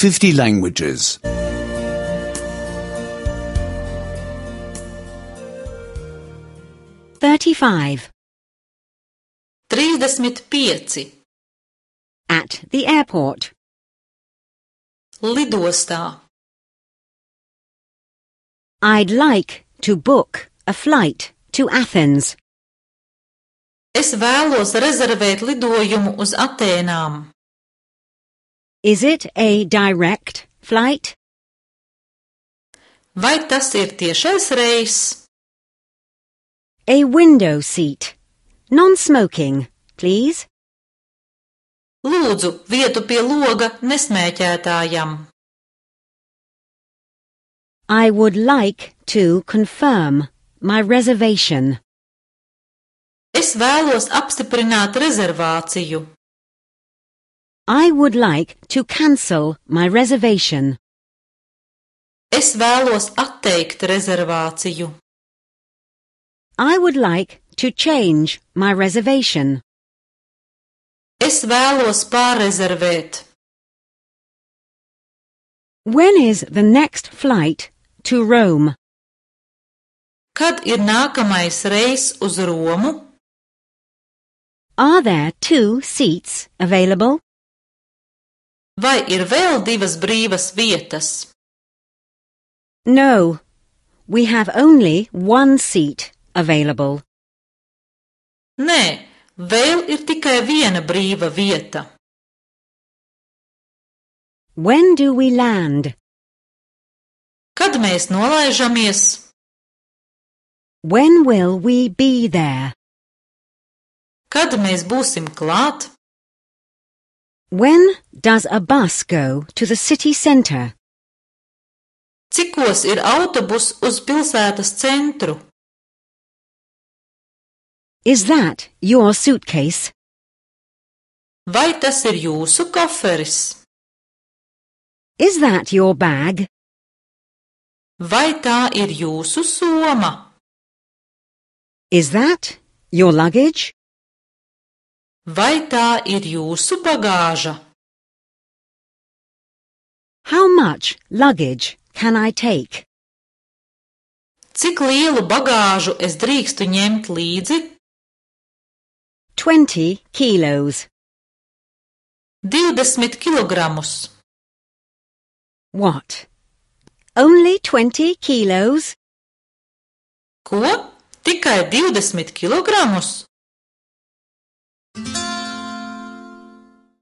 50 languages. 35. 35. At the airport. Lidostā. I'd like to book a flight to Athens. Es vēlos rezervēt lidojumu uz Atēnām. Is it a direct flight? Vai tas ir tiešais reiss? A window seat. Non-smoking, please. Lūdzu, vietu pie loga nesmēķētājam. I would like to confirm my reservation. Es vēlos apstiprināt rezervāciju. I would like to cancel my reservation. Es vēlos atteikt rezervāciju. I would like to change my reservation. Es vēlos pārrezervēt. When is the next flight to Rome? Kad ir nākamais reiss uz Romu? Are there 2 seats available? Vai ir vēl 2 brīvas vietas? No, we have only 1 seat available. Nē, vēl ir tikai 1 brīva vieta. When do we land? Kad mēs nolaižamies? When will we be there? Kad mēs būsim klāt? When does a bus go to the city centre? Cikos ir autobus uz pilsētas centru? Is that your suitcase? Vai tas ir jūsu koferis? Is that your bag? Vai tā ir jūsu soma? Is that your luggage? Vai tā ir jūsu bagāža? How much luggage can I take? Cik lielu bagāžu es drīkstu ņemt līdzi? 20 kilos. 20 kilogramus. What? Only 20 kilos? Ko? Tikai 20 kilogramus?